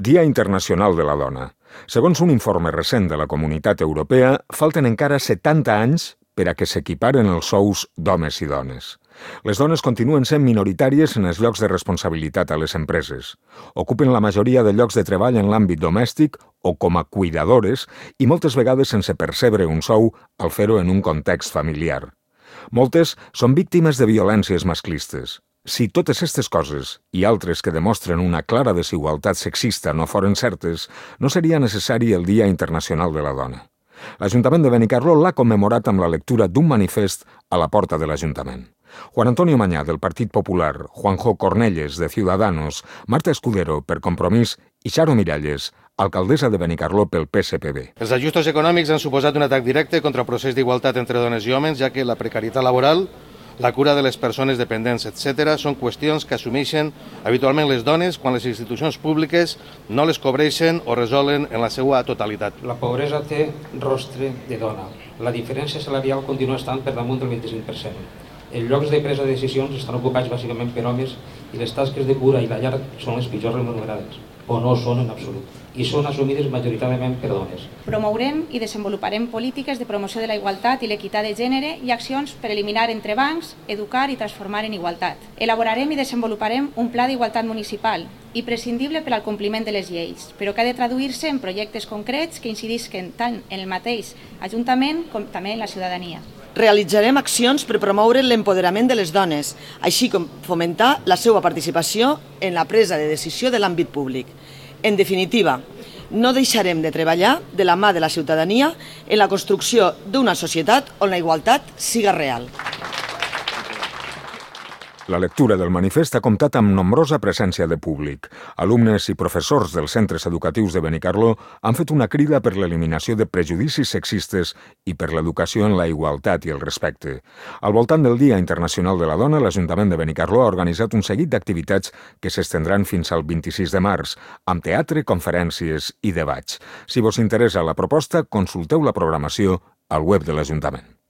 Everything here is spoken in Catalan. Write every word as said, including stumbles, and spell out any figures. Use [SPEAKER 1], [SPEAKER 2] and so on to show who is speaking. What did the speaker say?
[SPEAKER 1] Dia Internacional de la Dona. Segons un informe recent de la Comunitat Europea, falten encara setanta anys per a que s'equiparen els sous d'homes i dones. Les dones continuen sent minoritàries en els llocs de responsabilitat a les empreses. Ocupen la majoria de llocs de treball en l'àmbit domèstic o com a cuidadores i moltes vegades sense percebre un sou al fer-ho en un context familiar. Moltes són víctimes de violències masclistes. Si totes aquestes coses i altres que demostren una clara desigualtat sexista no foren certes, no seria necessari el Dia Internacional de la Dona. L'Ajuntament de Benicarló l'ha commemorat amb la lectura d'un manifest a la porta de l'Ajuntament. Juan Antonio Mañá, del Partit Popular, Juanjo Cornelles, de Ciudadanos, Marta Escudero, per Compromís, i Xaro Miralles, alcaldessa de Benicarló pel P S P B.
[SPEAKER 2] Els ajustos econòmics han suposat un atac directe contra el procés d'igualtat entre dones i homes, ja que la precarietat laboral, la cura de les persones dependents, etcètera, són qüestions que assumeixen habitualment les dones quan les institucions públiques no les cobreixen o resolen en la seva totalitat.
[SPEAKER 3] La pobresa té rostre de dona. La diferència salarial continua estant per damunt del vint-i-cinc per cent. Els llocs de presa de decisions estan ocupats bàsicament per homes i les tasques de cura i la llar són les pitjors remunerades, o no són en absolut, i són assumides majoritàriament per dones.
[SPEAKER 4] Promourem i desenvoluparem polítiques de promoció de la igualtat i l'equitat de gènere i accions per eliminar entrebancs, educar i transformar en igualtat. Elaborarem i desenvoluparem un pla d'igualtat municipal, imprescindible per al compliment de les lleis, però que ha de traduir-se en projectes concrets que incidisquen tant en el mateix Ajuntament com també en la ciutadania.
[SPEAKER 5] Realitzarem accions per promoure l'empoderament de les dones, així com fomentar la seva participació en la presa de decisió de l'àmbit públic. En definitiva, no deixarem de treballar de la mà de la ciutadania en la construcció d'una societat on la igualtat siga real.
[SPEAKER 1] La lectura del manifest ha comptat amb nombrosa presència de públic. Alumnes i professors dels centres educatius de Benicarló han fet una crida per l'eliminació de prejudicis sexistes i per l'educació en la igualtat i el respecte. Al voltant del Dia Internacional de la Dona, l'Ajuntament de Benicarló ha organitzat un seguit d'activitats que s'estendran fins al vint-i-sis de març, amb teatre, conferències i debats. Si vos interessa la proposta, consulteu la programació al web de l'Ajuntament.